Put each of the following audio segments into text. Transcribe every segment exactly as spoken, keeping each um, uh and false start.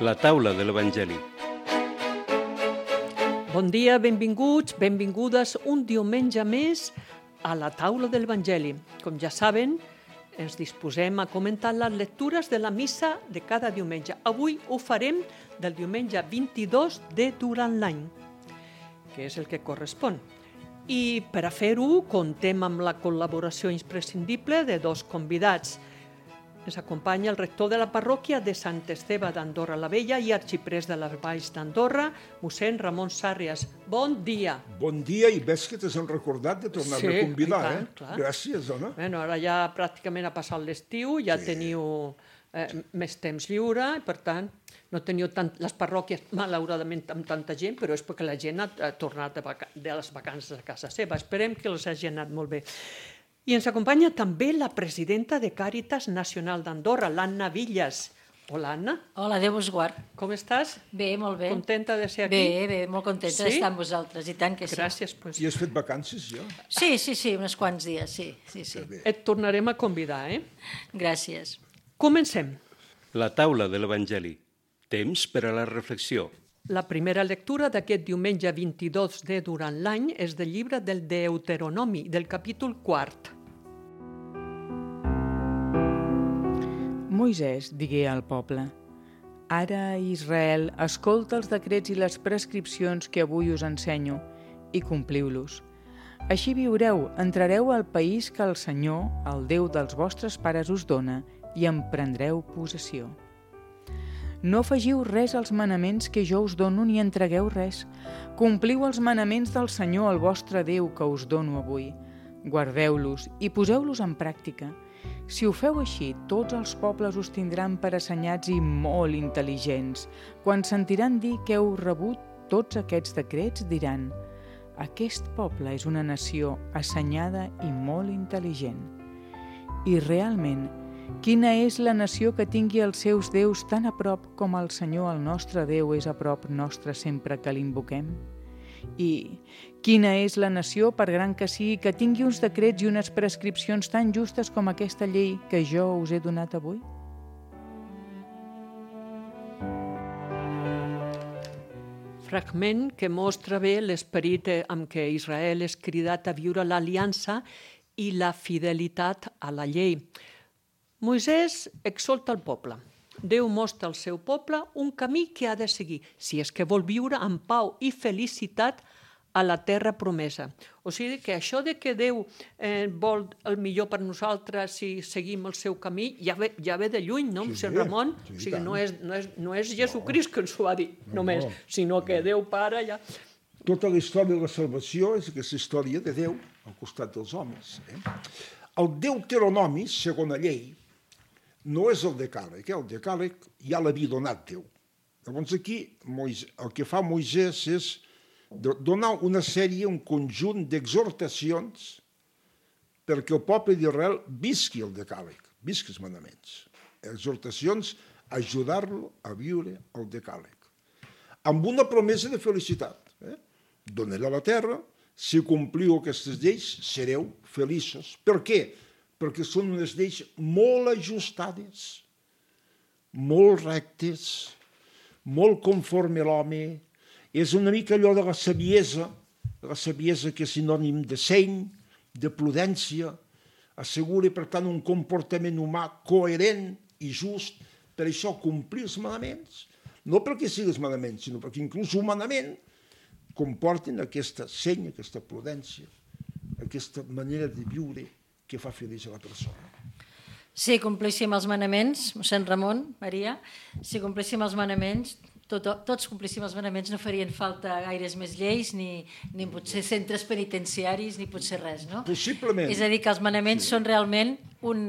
La taula de l'Evangeli. Bon dia, benvinguts, benvingudes un diumenge més a la taula de l'Evangeli. Com ja saben, ens disposem a comentar les lectures de la missa de cada diumenge. Avui ho farem del diumenge vint-i-dos de durant l'any, que és el que correspon. I per a fer-ho contem amb la col·laboració imprescindible de dos convidats. Ens acompanya el rector de la parròquia de Sant Esteve d'Andorra la Vella i arxiprés de les Valls d'Andorra, mossèn Ramon Sàrrias. Bon dia. Bon dia, i ves que t'has recordat de tornar-me Sí, a convidar, i tant, eh? clar. Gràcies, dona. Bueno, ara ja pràcticament ha passat l'estiu, ja Sí. teniu eh, més temps lliure, i per tant no teniu tant, les parròquies malauradament amb tanta gent, però és perquè la gent ha, ha tornat de, vaca de les vacances a casa seva. Esperem que els hagi anat molt bé. I ens acompanya també la presidenta de Càritas Nacional d'Andorra, l'Anna Villas. Hola, Anna. Hola, Déu vos guard. Com estàs? Bé, molt bé. Contenta de ser aquí? Bé, bé, molt contenta Sí? d'estar amb vosaltres, i tant que sí. Gràcies. Pues. I has fet vacances, jo? Sí, sí, sí, uns quants dies, sí, sí, sí. Que bé. Et tornarem a convidar, eh? Gràcies. Comencem. La taula de l'Evangeli. Temps per a la reflexió. La primera lectura d'aquest diumenge vint-i-dos de durant l'any és del llibre del Deuteronomi, del capítol quart. Moisès digué al poble: «Ara, Israel, escolta els decrets i les prescripcions que avui us ensenyo i compliu-los. Així viureu, entrareu al país que el Senyor, el Déu dels vostres pares, us dona i en prendreu possessió. No afegiu res als manaments que jo us dono ni entregueu res. Compliu els manaments del Senyor, el vostre Déu, que us dono avui. Guardeu-los i poseu-los en pràctica. Si ho feu així, tots els pobles us tindran per assenyats i molt intel·ligents. Quan sentiran dir que heu rebut tots aquests decrets, diran: aquest poble és una nació assenyada i molt intel·ligent. I realment, quina és la nació que tingui els seus déus tan a prop com el Senyor, el nostre Déu, és a prop nostre sempre que l'invoquem? I quina és la nació, per gran que sigui, que tingui uns decrets i unes prescripcions tan justes com aquesta llei que jo us he donat avui? Fragment que mostra bé l'esperit amb què Israel és cridat a viure l'aliança i la fidelitat a la llei. Moisès exhorta el poble. Déu mostra al seu poble un camí que ha de seguir, si és que vol viure en pau i felicitat a la terra promesa. O sigui que això de que Déu eh, vol el millor per nosaltres si seguim el seu camí, ja ve, ja ve de lluny, no, Sí, mossèn sí, Ramon? sí, O sigui, tant. no és, no és, no és Jesucrist que ens ho ha dit No, només, no. sinó que Déu Pare ja... Tota la història de la salvació és aquesta història de Déu al costat dels homes. Eh? El Deuteronomi, segona llei, no és el decàleg, eh? El decàleg ja l'havia donat Déu. Llavors aquí Moisès, el que fa Moisès és donar una sèrie, un conjunt d'exhortacions perquè el poble d'Israel visqui el decàleg, visqui els manaments. Exhortacions a ajudar-lo a viure el decàleg. Amb una promesa de felicitat. Eh? Donaré la terra, si compliu aquestes lleis, sereu feliços. Per què? Perquè són unes lleis molt ajustades, molt rectes, molt conforme a l'home. És una mica allò de la saviesa, la saviesa que és sinònim de seny, de prudència, assegura, per tant, un comportament humà coherent i just. Per això, complir els manaments, no perquè siguin els manaments, sinó perquè inclús humanament comporten aquesta seny, aquesta prudència, aquesta manera de viure que fa feliç a la persona. Si complíssim els manaments, mossèn Ramon, Maria, si complíssim els manaments, tot, tots complíssim els manaments, no farien falta gaires més lleis, ni, ni potser centres penitenciaris, ni potser res, no? Possiblement. És a dir, que els manaments sí. són realment un,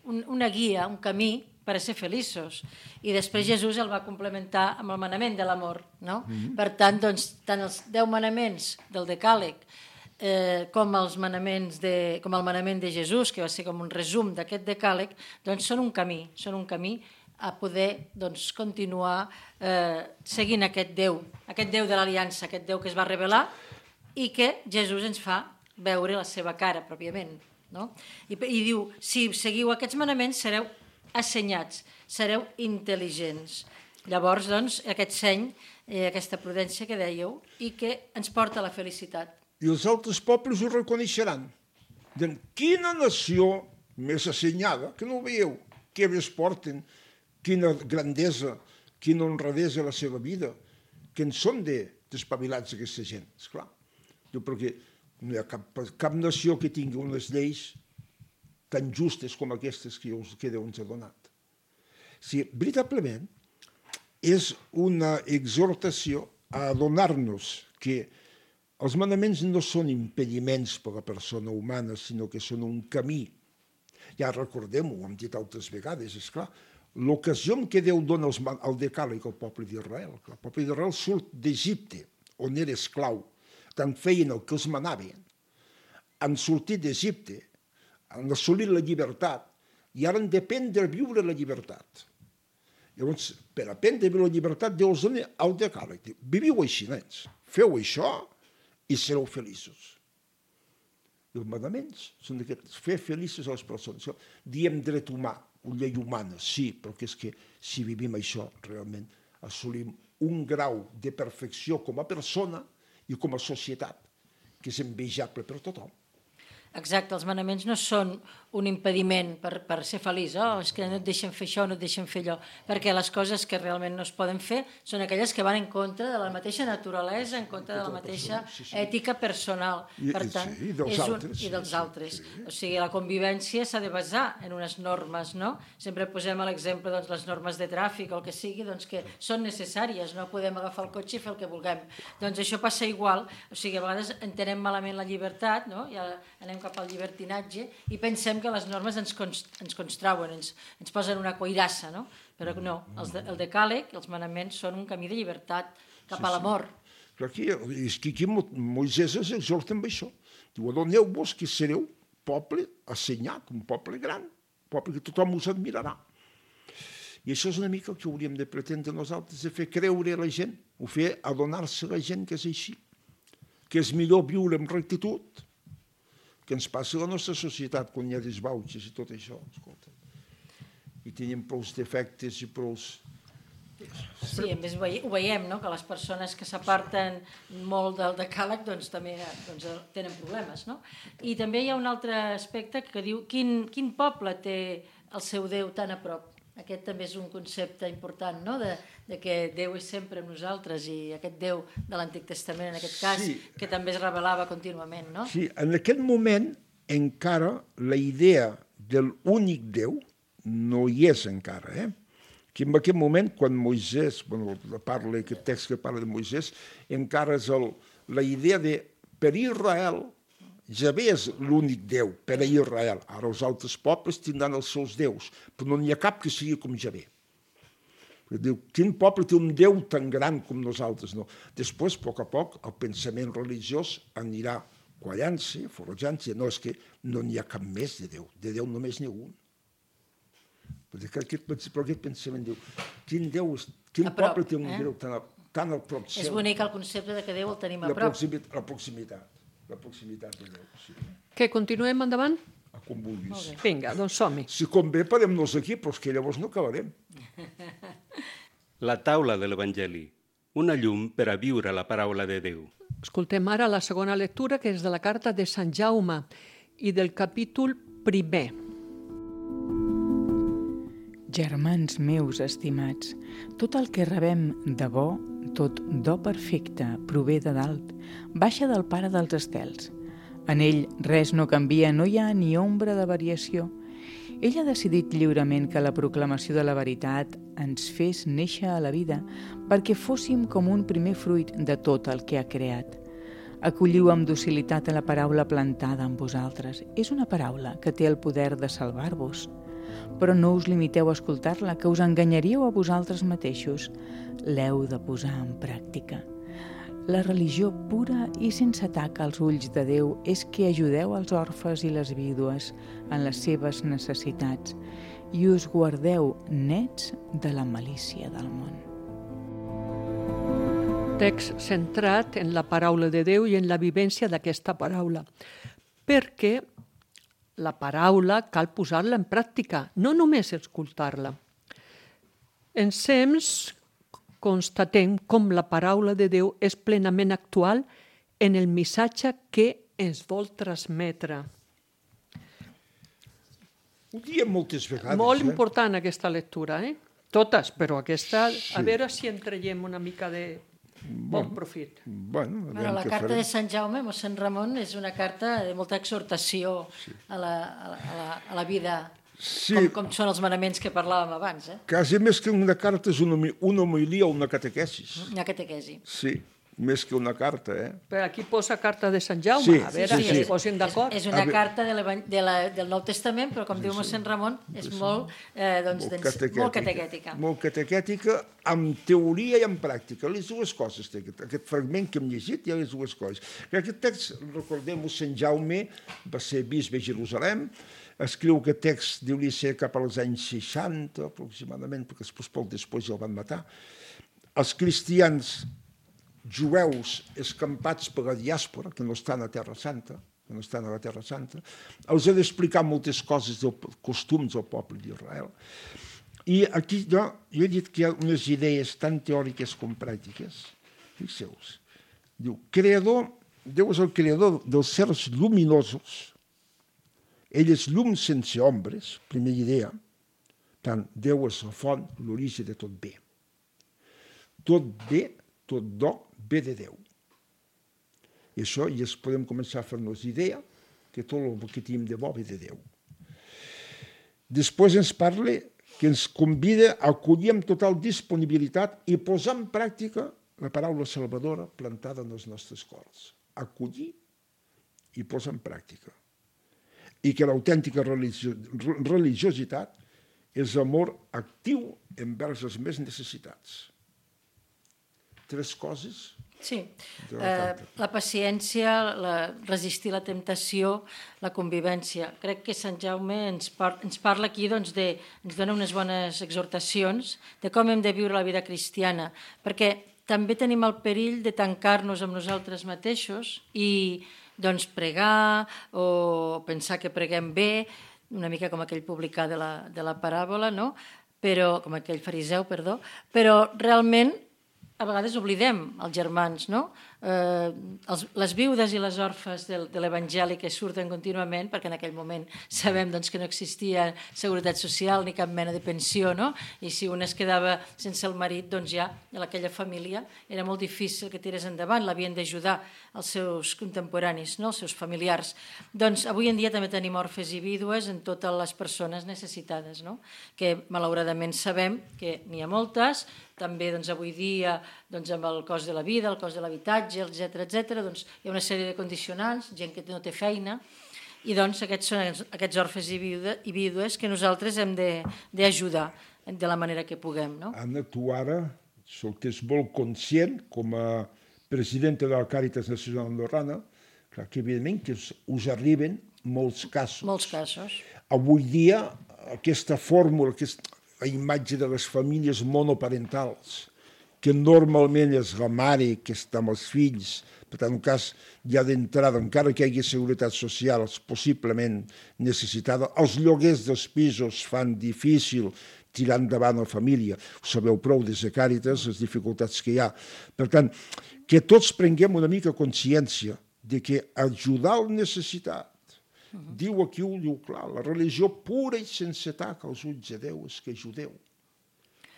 un, una guia, un camí per a ser feliços. I després Jesús el va complementar amb el manament de l'amor, no? Mm-hmm. Per tant, doncs, tant els deu manaments del decàleg eh, com, els manaments de, com el manament de Jesús, que va ser com un resum d'aquest decàleg, doncs són un camí, són un camí a poder doncs, continuar eh, seguint aquest Déu, aquest Déu de l'Aliança, aquest Déu que es va revelar i que Jesús ens fa veure la seva cara, pròpiament. No? I, I diu, si seguiu aquests manaments sereu assenyats, sereu intel·ligents. Llavors, doncs, aquest seny, eh, aquesta prudència que dèieu, i que ens porta a la felicitat. I els altres pobles ho reconeixeran. Diuen, quina nació més assenyada, que no ho veieu, què més porten, quina grandesa, quina honradesa a la seva vida, que en són d'espavilats aquesta gent, esclar. Diu, perquè no hi ha cap, cap nació que tingui unes lleis tan justes com aquestes que, us, que Déu ens ha donat. Sí, veritablement, és una exhortació a adonar-nos que els manaments no són impediments per a la persona humana, sinó que són un camí. Ja recordem-ho, ho hem dit altres vegades, esclar, l'ocasió en què Déu dona els, el decàleg al poble d'Israel. El poble d'Israel surt d'Egipte, on era esclau, tant feien el que els manaven, han sortit d'Egipte, han assolit la llibertat i ara han d'aprendre a viure la llibertat. Llavors, per aprendre a viure la llibertat, Déu els dona el decàleg. Viviu així, nens, feu això i sereu feliços. I els manaments són aquests, fer feliços a les persones. Diem dret humà, una llei humana, sí, però que és que si vivim això, realment assolim un grau de perfecció com a persona i com a societat, que és envejable per tothom. Exacte, els manaments no són un impediment per, per ser feliç, oh, és que no et deixen fer això, no et deixen fer allò, perquè les coses que realment no es poden fer són aquelles que van en contra de la mateixa naturalesa, en contra de la mateixa sí, sí. ètica personal. I, per tant, sí, i dels és un, altres. I dels sí, altres. Sí. O sigui, la convivència s'ha de basar en unes normes, no? Sempre posem a l'exemple doncs, les normes de tràfic o el que sigui, doncs, que són necessàries, no podem agafar el cotxe i fer el que vulguem. Doncs això passa igual, o sigui, a vegades entenem malament la llibertat, no? Ja anem cap al llibertinatge i pensem que les normes ens, const, ens constrauen, ens, ens posen una coirassa, no? Però no, els de, el decàleg, els manaments són un camí de llibertat cap sí, a l'amor. Sí. Aquí, és que aquí Moisès ens exhorta amb això. Diu, adoneu-vos que sereu poble assenyat, un poble gran, un poble que tothom us admirarà. I això és una mica el que hauríem de pretendre nosaltres, de fer creure a la gent, o fer adonar-se a la gent que és així, que és millor viure amb rectitud, que ens passa a la nostra societat quan hi ha desbauxes i tot això, escolta. I tenim prous defectes i prous... Sí, a més ho veiem, no? Que les persones que s'aparten molt del decàleg doncs, també doncs, tenen problemes. No? I també hi ha un altre aspecte que diu quin, quin poble té el seu Déu tan a prop. Aquest també és un concepte important, no? de, de que Déu és sempre amb nosaltres i aquest Déu de l'Antic Testament, en aquest cas, sí. que també es revelava contínuament. No? Sí, en aquest moment encara la idea de l'únic Déu no hi és encara. Eh? Que en aquest moment, quan Moisès, bueno, parla, aquest text que parla de Moisès, encara és el, la idea de per Israel, Javé és l'únic Déu per a Israel. Ara els altres pobles tindran els seus déus, però no n'hi ha cap que sigui com Javé. Diu, quin poble té un Déu tan gran com nosaltres? No. Després, a poc a poc, el pensament religiós anirà quallant-se, forjant-se. No, és que no n'hi ha cap més de Déu. De Déu només n'hi ha un. Però aquest, però aquest pensament diu, quin Déu, quin prop, poble té un eh? Déu tan, a, tan al prop seu? És bonic el concepte de que Déu el tenim a la prop. Proximitat, la proximitat. La proximitat de Déu, sí. Que continuem endavant? A com vulguis. Vinga, doncs som-hi. Si convé, parem-nos aquí, però és que llavors no acabarem. La taula de l'Evangeli, una llum per a viure la paraula de Déu. Escoltem ara la segona lectura, que és de la carta de Sant Jaume i del capítol primer. Germans meus estimats, tot el que rebem de bo, tot do perfecte, prové de dalt, baixa del Pare dels estels. En ell res no canvia, no hi ha ni ombra de variació. Ell ha decidit lliurement que la proclamació de la veritat ens fes néixer a la vida perquè fóssim com un primer fruit de tot el que ha creat. Acolliu amb docilitat a la paraula plantada en vosaltres. És una paraula que té el poder de salvar-vos. Però no us limiteu a escoltar-la, que us enganyaríeu a vosaltres mateixos. L'heu de posar en pràctica. La religió pura i sense taca als ulls de Déu és que ajudeu els orfes i les vídues en les seves necessitats i us guardeu nets de la malícia del món. Text centrat en la paraula de Déu i en la vivència d'aquesta paraula. Perquè la paraula cal posar-la en pràctica, no només escoltar-la. Ensems constatem com la paraula de Déu és plenament actual en el missatge que ens vol transmetre. Ho diem moltes vegades. Molt eh? important aquesta lectura, eh? Totes, però aquesta, a veure si en traiem una mica de bon profit. Bueno, a Bueno, veure la què carta farem. de Sant Jaume, mossèn Ramon, és una carta de molta exhortació a la, a la, a la, a la vida, Sí. com, com són els manaments que parlàvem abans, eh? Quasi més que una carta és una, homi- una homilia o una catequesis. Una catequesi. Sí, més que una carta, eh? Però aquí posa carta de Sant Jaume, Sí, a veure sí, si sí. es posin d'acord. És una A veure. carta de l'evan- de la, del Nou Testament, però com diu mossèn Ramon, és molt, eh, doncs, Molt doncs, catequètica. molt catequètica. Molt catequètica, amb teoria i amb pràctica. Les dues coses té aquest, aquest fragment que hem llegit, hi ha les dues coses. Que aquest text, recordem-ho, Sant Jaume va ser bisbe a Jerusalem, escriu aquest text, deu-li ser cap als anys seixanta, aproximadament, perquè després, poc després ja el van matar. Els cristians jueus escampats per la diàspora, que no estan a Terra Santa, que no estan a la Terra Santa, els ha d'explicar moltes coses dels costums del poble d'Israel. I aquí jo, jo he dit que hi ha unes idees tan teòriques com pràctiques. Fixeu-vos. Diu, creador, Déu és el creador dels certs lluminosos. Ell és llum sense ombres, primera idea. Tant, Déu és la font, l'origen de tot bé. Tot bé, tot do, ve de Déu. I això ja podem començar a fer-nos idea que tot el que tenim de bo ve de Déu. Després ens parla que ens convida a acollir amb total disponibilitat i posar en pràctica la paraula salvadora plantada en els nostres cors. Acollir i posar en pràctica. I que l'autèntica religio religiositat és amor actiu envers els més necessitats. Tres coses. Sí, de la eh, carta. la paciència, la, resistir la temptació, la convivència. Crec que Sant Jaume ens, par ens parla aquí, doncs, de, ens dona unes bones exhortacions de com hem de viure la vida cristiana, perquè també tenim el perill de tancar-nos amb nosaltres mateixos i doncs, pregar o pensar que preguem bé, una mica com aquell publicà de la, de la paràbola, no? Però, com aquell fariseu, perdó, però realment a vegades oblidem els germans, no? Eh, els, les viudes i les orfes del, de l'Evangeli que surten contínuament, perquè en aquell moment sabem doncs, que no existia seguretat social ni cap mena de pensió, no? I si un es quedava sense el marit, doncs ja en aquella família era molt difícil que tirés endavant, l'havien d'ajudar els seus contemporanis, no? Els seus familiars. Doncs avui en dia també tenim orfes i vídues en totes les persones necessitades, no? Que malauradament sabem que n'hi ha moltes, també doncs, avui dia doncs, amb el cost de la vida, el cost de l'habitatge, etcètera, etcètera, doncs, hi ha una sèrie de condicionants, gent que no té feina, i doncs aquests són aquests orfes i, viuda, i vídues que nosaltres hem d'ajudar de la manera que puguem. No? Anna, tu ara, sol que és molt conscient, com a presidenta de la Càritas Nacional Andorrana, clar, que evidentment que us, us arriben molts casos. Molts casos. Avui dia, aquesta fórmula, aquesta, la imatge de les famílies monoparentals, que normalment és la mare que està amb els fills, per tant, en un cas ja d'entrada, encara que hi hagi seguretat social, és possiblement necessitada. Els lloguers dels pisos fan difícil tirar endavant la família. Ho sabeu prou des de Càritas, les dificultats que hi ha. Per tant, que tots prenguem una mica consciència de que ajudar el necessitat, Uh -huh. diu aquí, ho diu clar, la religió pura i sense tac als ulls de Déu és que ajudeu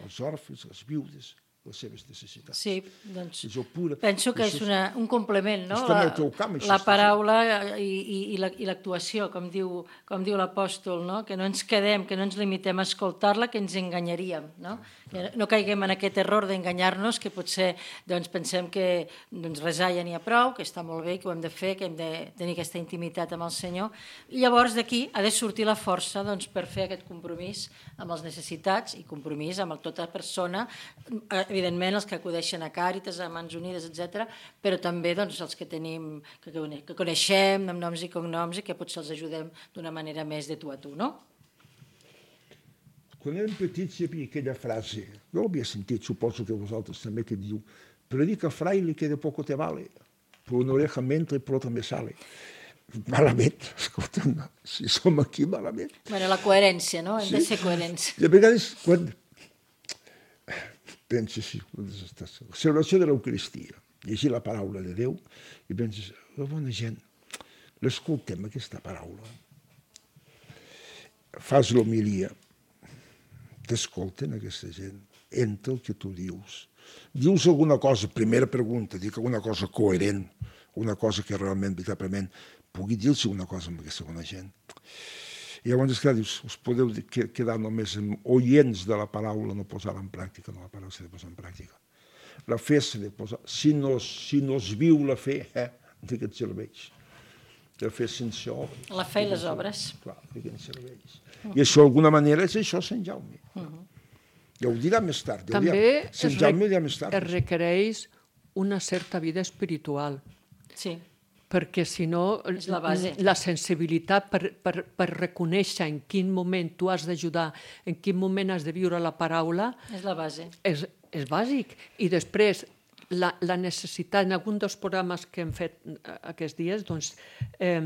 els orfes, les viudes, les seves necessitats. Sí, doncs pura. penso que és una, un complement, no? Està en el teu camp, això la està paraula i, i, i l'actuació, com diu, com diu l'apòstol, no? Que no ens quedem, que no ens limitem a escoltar-la, que ens enganyaríem, no? Que no caiguem en aquest error d'enganyar-nos, que potser doncs, pensem que doncs, resar ja n'hi ha prou, que està molt bé, que ho hem de fer, que hem de tenir aquesta intimitat amb el Senyor. I llavors d'aquí ha de sortir la força doncs, per fer aquest compromís amb les necessitats i compromís amb tota persona, evidentment els que acudeixen a Càritas, a Mans Unides, etcètera, però també doncs, els que tenim, que, que coneixem amb noms i cognoms i que potser els ajudem d'una manera més de tu a tu, no? Quan érem petits hi havia aquella frase, jo l'havia sentit, suposo que vosaltres també, que diu predica fraile que de poco te vale, per una oreja mentre i per otra me sale. Malament, escolta, si som aquí, malament. Bueno, la coherència, no? Hem sí? de ser coherents. I a vegades, quan penses, sí, la celebració de l'Eucaristia, llegir la paraula de Déu i penses, la bona gent, l'escoltem aquesta paraula. Fas l'homilia, t'escolten aquesta gent, entra el que tu dius. Dius alguna cosa, primera pregunta, dic alguna cosa coherent, una cosa que realment, veritablement, pugui dir-se una cosa amb aquesta bona gent. I llavors, esclar, dius, us podeu quedar només oients de la paraula, no posar-la en pràctica, no, la paraula s'ha de posar en pràctica. La fe s'ha de posar, si no, si no es viu la fe, eh, de què et serveix? La fe sense obres. La fe i les obres. Clar, de què et serveix? I això, d'alguna manera, és això, Sant Jaume. Ja ho dirà més tard. També Sant Jaume dirà més tard. es requereix una certa vida espiritual. Sí. Perquè si no, És la base. la sensibilitat per, per, per reconèixer en quin moment tu has d'ajudar, en quin moment has de viure la paraula, És la base. és, és bàsic. I després, la, la necessitat, en algun dels programes que hem fet aquests dies, doncs, eh,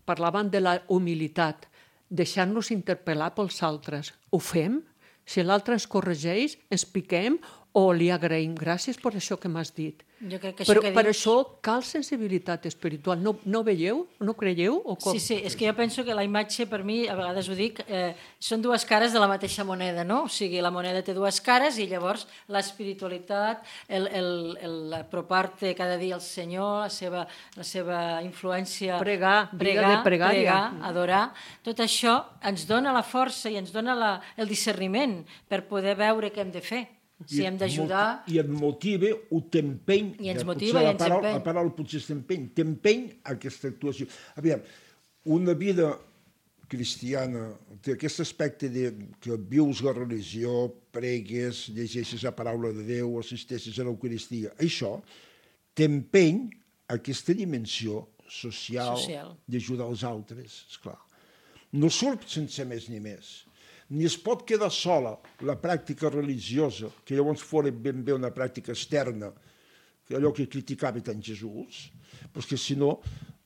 parlaven de la humilitat, deixar-nos interpel·lar pels altres. Ho fem? Si l'altre ens corregeix, ens piquem o li agraïm. Gràcies per això que m'has dit. Jo crec que això Però que per dius... això cal sensibilitat espiritual. No, no veieu? No creieu? O com? Sí, sí, és que jo penso que la imatge, per mi, a vegades ho dic, eh, són dues cares de la mateixa moneda, no? O sigui, la moneda té dues cares i llavors l'espiritualitat, el, el, el apropar-te cada dia al Senyor, la seva, la seva influència... Pregar, vida pregar, de pregària. pregar, adorar, tot això ens dona la força i ens dona la, el discerniment per poder veure què hem de fer. Si hem d'ajudar... I et motiva, ho t'empeny. I ens motiva i ens empeny. La paraula potser t'empeny. T'empeny aquesta actuació. Aviam, una vida cristiana té aquest aspecte de que vius la religió, pregues, llegeixes la paraula de Déu, assisteixes a l'Eucaristia. Això t'empeny aquesta dimensió social, Social. d'ajudar els altres, esclar. No surt sense més ni més. Ni es pot quedar sola la pràctica religiosa, que llavors fora ben bé una pràctica externa, que allò que criticava tant Jesús, perquè si no,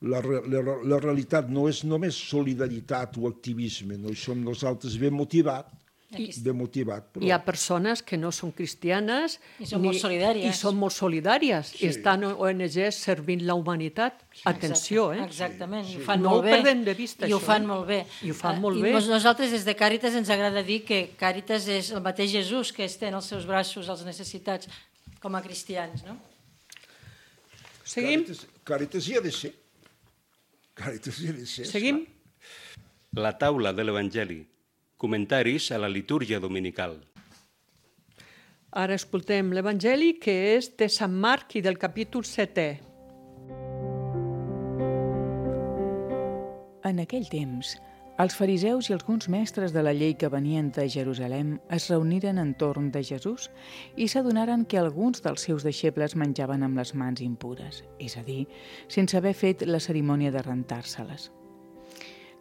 la, la, la realitat no és només solidaritat o activisme, no hi som nosaltres ben motivats, ben motivat. Però... Hi ha persones que no són cristianes I són molt solidàries. I són molt solidàries. Sí. I estan O N Gs servint la humanitat. Sí. Atenció, eh? Exactament, Sí, i ho sí. fan No molt ho bé. perdem de vista, I ho això, fan eh? molt bé. I ho fan molt I bé. nosaltres des de Càritas ens agrada dir que Càritas és el mateix Jesús que estén els seus braços als necessitats com a cristians, no? Seguim? Càritas, Càritas hi ha de ser. Càritas hi ha de ser. Seguim? La taula de l'Evangeli. Comentaris a la litúrgia dominical. Ara escoltem l'Evangeli, que és de Sant Marc i del capítol setè. En aquell temps, els fariseus i alguns mestres de la llei que venien de Jerusalem es reuniren entorn de Jesús i s'adonaren que alguns dels seus deixebles menjaven amb les mans impures, és a dir, sense haver fet la cerimònia de rentar-se-les.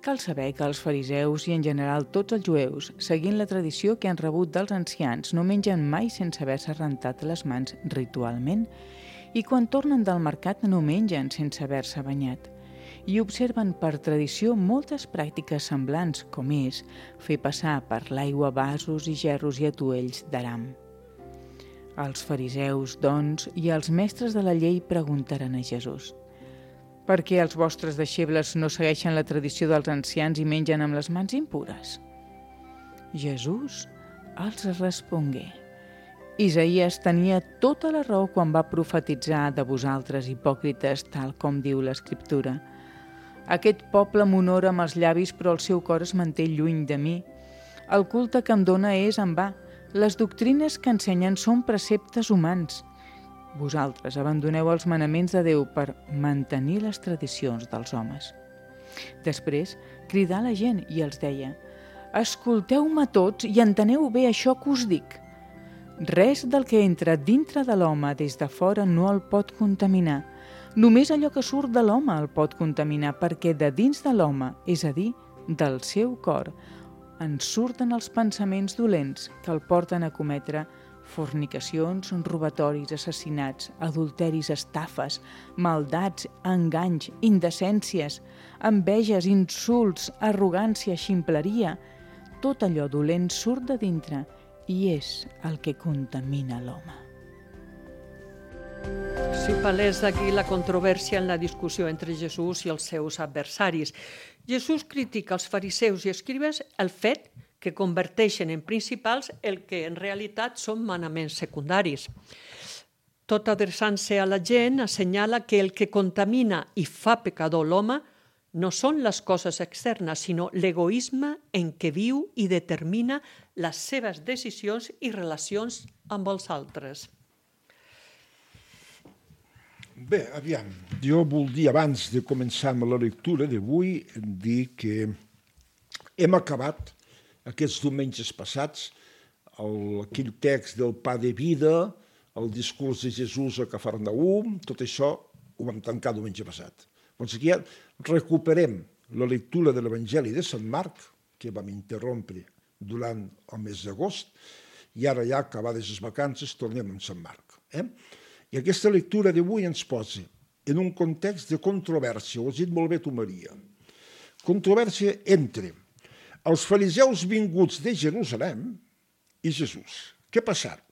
Cal saber que els fariseus i en general tots els jueus, seguint la tradició que han rebut dels ancians, no mengen mai sense haver-se rentat les mans ritualment i quan tornen del mercat no mengen sense haver-se banyat. I observen per tradició moltes pràctiques semblants, com és fer passar per l'aigua vasos i gerros i atuells d'aram. Els fariseus, doncs, i els mestres de la llei preguntaren a Jesús: per què els vostres deixebles no segueixen la tradició dels ancians i mengen amb les mans impures? Jesús els respongué: Isaïes tenia tota la raó quan va profetitzar de vosaltres, hipòcrites, tal com diu l'Escriptura. Aquest poble m'honora amb els llavis, però el seu cor es manté lluny de mi. El culte que em dóna és en va. Les doctrines que ensenyen són preceptes humans. Vosaltres abandoneu els manaments de Déu per mantenir les tradicions dels homes. Després cridà a la gent i els deia: escolteu-me tots i enteneu bé això que us dic. Res del que entra dintre de l'home des de fora no el pot contaminar. Només allò que surt de l'home el pot contaminar, perquè de dins de l'home, és a dir, del seu cor, en surten els pensaments dolents que el porten a cometre fornicacions, robatoris, assassinats, adulteris, estafes, maldats, enganys, indecències, enveges, insults, arrogància, ximpleria. Tot allò dolent surt de dintre i és el que contamina l'home. Si palès aquí la controvèrsia en la discussió entre Jesús i els seus adversaris. Jesús critica als fariseus i escribes el fet que converteixen en principals el que en realitat són manaments secundaris. Tot adreçant-se a la gent, assenyala que el que contamina i fa pecador l'home no són les coses externes, sinó l'egoisme en què viu i determina les seves decisions i relacions amb els altres. Bé, aviam, jo voldria, abans de començar amb la lectura d'avui, dir que hem acabat aquests diumenges passats el, aquell text del pa de vida, el discurs de Jesús a Cafarnaum, tot això ho vam tancar diumenge passat. Doncs aquí ja recuperem la lectura de l'Evangeli de Sant Marc, que vam interrompre durant el mes d'agost, i ara ja, acabades les vacances, tornem amb Sant Marc. Eh? I aquesta lectura d'avui ens posa en un context de controvèrsia, ho has dit molt bé tu, Maria. Controvèrsia entre els fariseus vinguts de Jerusalem i Jesús. Què ha passat?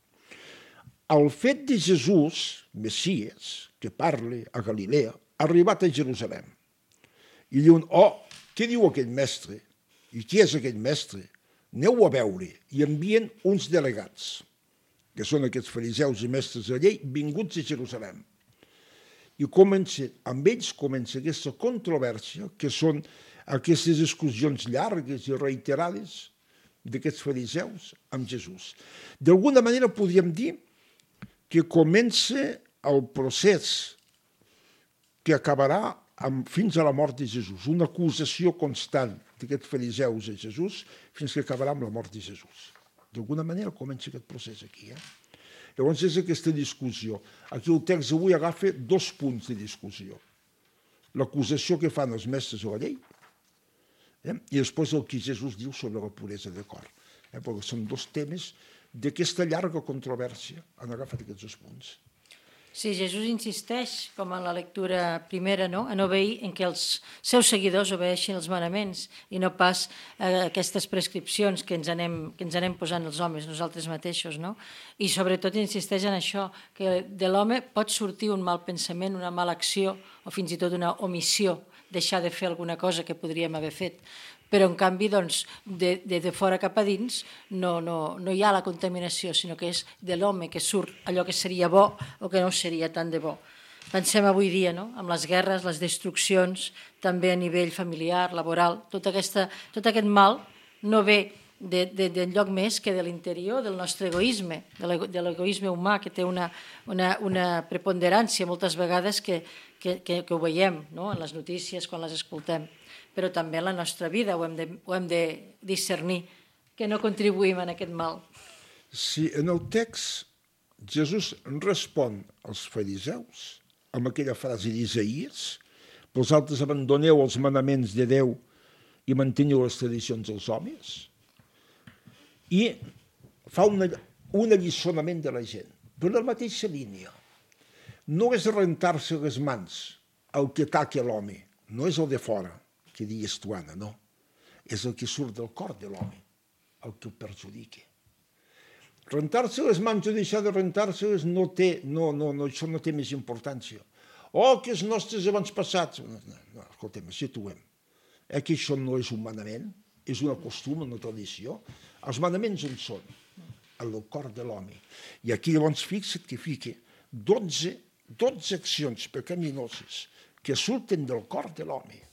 El fet de Jesús, Messies, que parla a Galilea, ha arribat a Jerusalem. I diuen, oh, què diu aquell mestre? I qui és aquell mestre? Aneu a veure. I envien uns delegats, que són aquests fariseus i mestres de la llei, vinguts a Jerusalem. I comença, amb ells comença aquesta controvèrsia, que són aquestes discussions llargues i reiterades d'aquests fariseus amb Jesús. D'alguna manera podríem dir que comença el procés que acabarà amb, fins a la mort de Jesús, una acusació constant d'aquests fariseus a Jesús fins que acabarà amb la mort de Jesús. D'alguna manera comença aquest procés aquí. Eh? Llavors és aquesta discussió. Aquí el text avui agafa dos punts de discussió. L'acusació que fan els mestres de la llei eh? i després el que Jesús diu sobre la puresa de cor. Eh? Perquè són dos temes d'aquesta llarga controvèrsia. Han agafat aquests dos punts. Sí, Jesús insisteix, com en la lectura primera, no? En obeir en què els seus seguidors obeeixin els manaments i no pas eh, aquestes prescripcions que ens, anem, que ens anem posant els homes, nosaltres mateixos. No? I sobretot insisteix en això, que de l'home pot sortir un mal pensament, una mala acció o fins i tot una omissió, deixar de fer alguna cosa que podríem haver fet. Però, en canvi, doncs, de, de, de fora cap a dins no, no, no hi ha la contaminació, sinó que és de l'home que surt allò que seria bo o que no seria tan de bo. Pensem avui dia, no? Amb les guerres, les destruccions, també a nivell familiar, laboral, tot, aquesta, tot aquest mal no ve d'enlloc més que de l'interior del nostre egoisme, de l'egoisme humà, que té una, una, una preponderància moltes vegades que, que, que, que ho veiem, no? En les notícies, quan les escoltem. Però també en la nostra vida ho hem de, ho hem de discernir, que no contribuïm en aquest mal. Si en el text Jesús respon als fariseus amb aquella frase d'Isaïes, vosaltres abandoneu els manaments de Déu i manteniu les tradicions dels homes, i fa una, un alliçonament de la gent, per la mateixa línia. No és rentar-se les mans el que ataca l'home, no és el de fora, que digues tu, Anna, no. És el que surt del cor de l'home, el que el perjudica. Rentar-se les mans o deixar de rentar-se-les no té, no, no, no, això no té més importància. Oh, que els nostres avantpassats... No, no, no, escolta'm, situem. Eh, que això no és un manament, és una costum, una tradició. Els manaments on són? En el cor de l'home. I aquí llavors fixa't que fica dotze, dotze accions pecaminoses que surten del cor de l'home.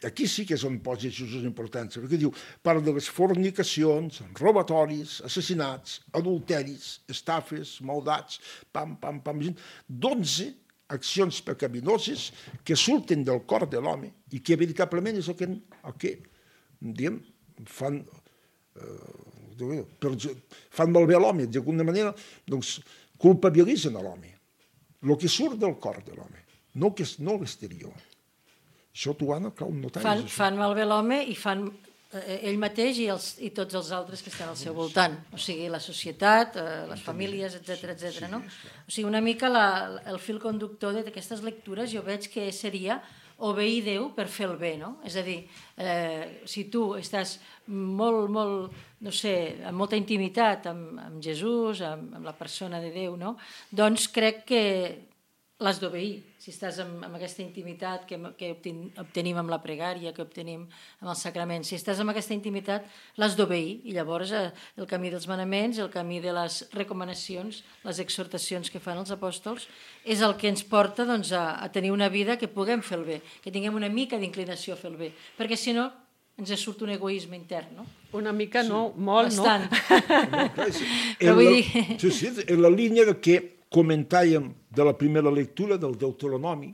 Aquí sí que és on posa Jesús importància, perquè diu, parla de les fornicacions, robatoris, assassinats, adulteris, estafes, maldats, pam, pam, pam, dotze accions pecaminoses que surten del cor de l'home i que veritablement és el que, el que diguem, fan, eh, per, fan malbé a l'home, d'alguna manera, doncs, culpabilitzen a l'home. El que surt del cor de l'home, no, no l'exterior. Això tu, Anna, cal notar. Fan, fan malbé l'home i fan eh, ell mateix i, els, i tots els altres que estan al seu voltant. O sigui, la societat, eh, les famílies, etcètera, etcètera. No? O sigui, una mica la, el fil conductor d'aquestes lectures jo veig que seria obeir Déu per fer el bé, no? És a dir, eh, si tu estàs molt, molt, no sé, amb molta intimitat amb, amb Jesús, amb, amb la persona de Déu, no? Doncs crec que l'has d'obeir. Si estàs amb, amb aquesta intimitat que, que obtenim amb la pregària, que obtenim amb el sacrament, si estàs amb aquesta intimitat, l'has d'obeir. I llavors eh, el camí dels manaments, el camí de les recomanacions, les exhortacions que fan els apòstols, és el que ens porta doncs, a, a tenir una vida que puguem fer el bé, que tinguem una mica d'inclinació a fer el bé, perquè si no ens surt un egoisme intern, no? Una mica no, sí. molt Bastant. no. Però vull dir... Sí, sí, en la línia de que comentàvem de la primera lectura del Deuteronomi,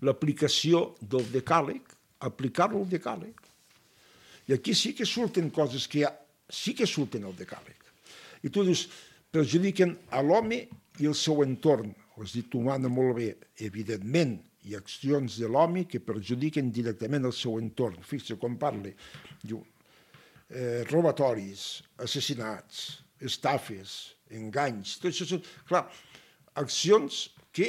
l'aplicació del decàleg, aplicar-lo al decàleg. I aquí sí que surten coses que ha, sí que surten al decàleg. I tu dius, perjudiquen a l'home i el seu entorn. Ho has dit humana molt bé. Evidentment, hi ha accions de l'home que perjudiquen directament el seu entorn. Fixa com parla. Diu, eh, robatoris, assassinats, estafes, enganys, tot això són, clar, accions que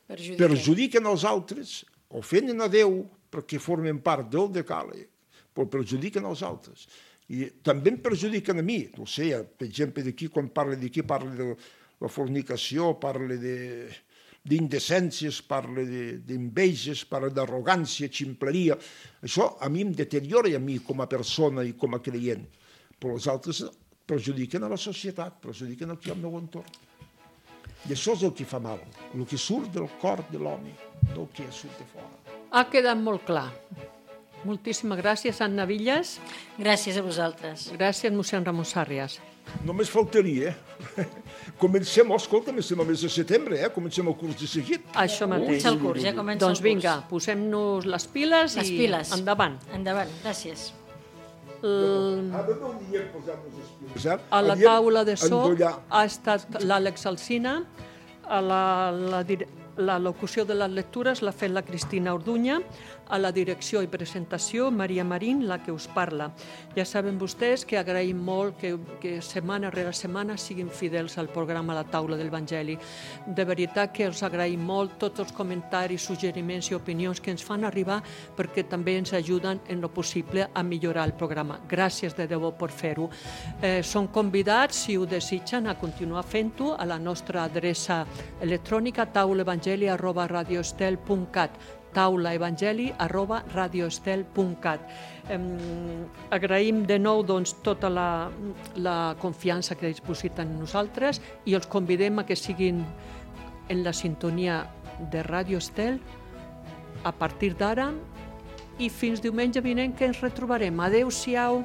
perjudiquen. perjudiquen els altres, ofenen a Déu perquè formen part del decàleg, però perjudiquen els altres. I també em perjudiquen a mi, no sé, per exemple, d'aquí, quan parla d'aquí, parla de la fornicació, parla de d'indecències, parla d'enveges, parla d'arrogància, ximpleria. Això a mi em deteriora a mi com a persona i com a creient, però els altres perjudiquen a la societat, perjudiquen aquí al meu entorn. I això és el que fa mal, el que surt del cor de l'home, no el que surt de fora. Ha quedat molt clar. Moltíssimes gràcies, Anna Villas. Gràcies a vosaltres. Gràcies, mossèn Ramon Sàrrias. Només faltaria, eh? Comencem, escolta, comencem el mes de setembre, eh? Comencem el curs de seguit. Això mateix. Comença el curs, ja comença doncs el curs. vinga, posem-nos les piles les i piles. endavant. Endavant, gràcies. El... Ara no diem posar-nos les piles, eh? A la Diem taula de so endollar. ha estat l'Àlex Alsina, a la, la, la locució de les lectures l'ha fet la Cristina Orduña, a la direcció i presentació Maria Marín, la que us parla. Ja saben vostès que agraïm molt que, que setmana rere setmana siguin fidels al programa La Taula del Vangeli. De veritat que els agraïm molt tots els comentaris, suggeriments i opinions que ens fan arribar perquè també ens ajuden en lo possible a millorar el programa. Gràcies de debò per fer-ho. Eh, són convidats, si ho desitgen, a continuar fent-ho a la nostra adreça electrònica taulaevangeli arroba radioestel punt cat taulaevangeli arroba radioestel punt cat. Eh, agraïm de nou doncs, tota la, la confiança que dipositen en nosaltres i els convidem a que siguin en la sintonia de Radio Estel a partir d'ara i fins diumenge vinent que ens retrobarem. Adéu-siau.